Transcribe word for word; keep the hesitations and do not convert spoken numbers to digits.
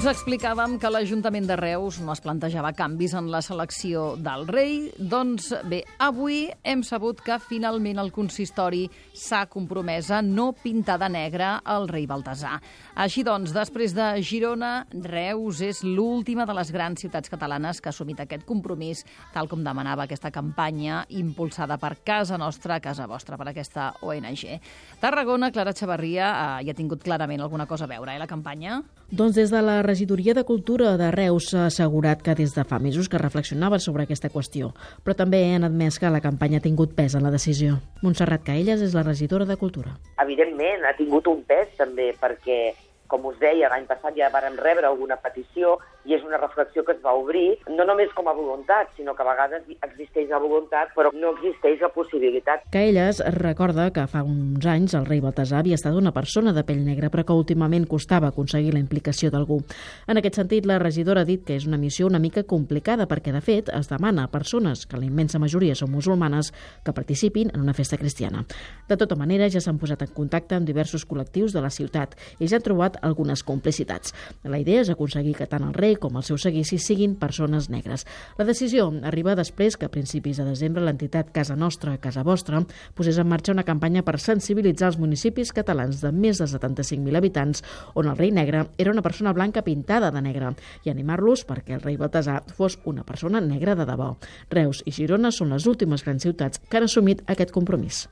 Us explicàvem que l'Ajuntament de Reus no es plantejava canvis en la selecció del rei. Doncs bé, avui hem sabut que finalment el consistori s'ha compromès a no pintar de negre el rei Baltasar. Així doncs, després de Girona, Reus és l'última de les grans ciutats catalanes que ha assumit aquest compromís, tal com demanava aquesta campanya impulsada per Casa Nostra, Casa Vostra, per aquesta O N G. Tarragona, Clara Chavarria, eh, hi ha tingut clarament alguna cosa a veure, eh, la campanya? Doncs des de la Regidoria de Cultura de Reus s'ha assegurat que des de fa mesos que reflexionaven sobre aquesta qüestió, però també han admès que la campanya ha tingut pes en la decisió. Montserrat Caelles és la regidora de Cultura. Evidentment, ha tingut un pes també perquè, com us deia, l'any passat ja vàrem rebre alguna petició i és una reflexió que es va obrir, no només com a voluntat, sinó que a vegades existeix la voluntat, però no existeix la possibilitat. Caelles recorda que fa uns anys el rei Baltasar havia estat una persona de pell negra, però que últimament costava aconseguir la implicació d'algú. En aquest sentit, la regidora ha dit que és una missió una mica complicada perquè, de fet, es demana a persones, que la immensa majoria són musulmanes, que participin en una festa cristiana. De tota manera, ja s'han posat en contacte amb diversos col·lectius de la ciutat i ja han trobat algunes complicitats. La idea és aconseguir que tant el rei com els seus seguicis siguin persones negres. La decisió arriba després que a principis de desembre l'entitat Casa Nostra, Casa Vostra posés en marxa una campanya per sensibilitzar els municipis catalans de més de setanta-cinc mil habitants on el rei negre era una persona blanca pintada de negre i animar-los perquè el rei Baltasar fos una persona negra de debò. Reus i Girona són les últimes grans ciutats que han assumit aquest compromís.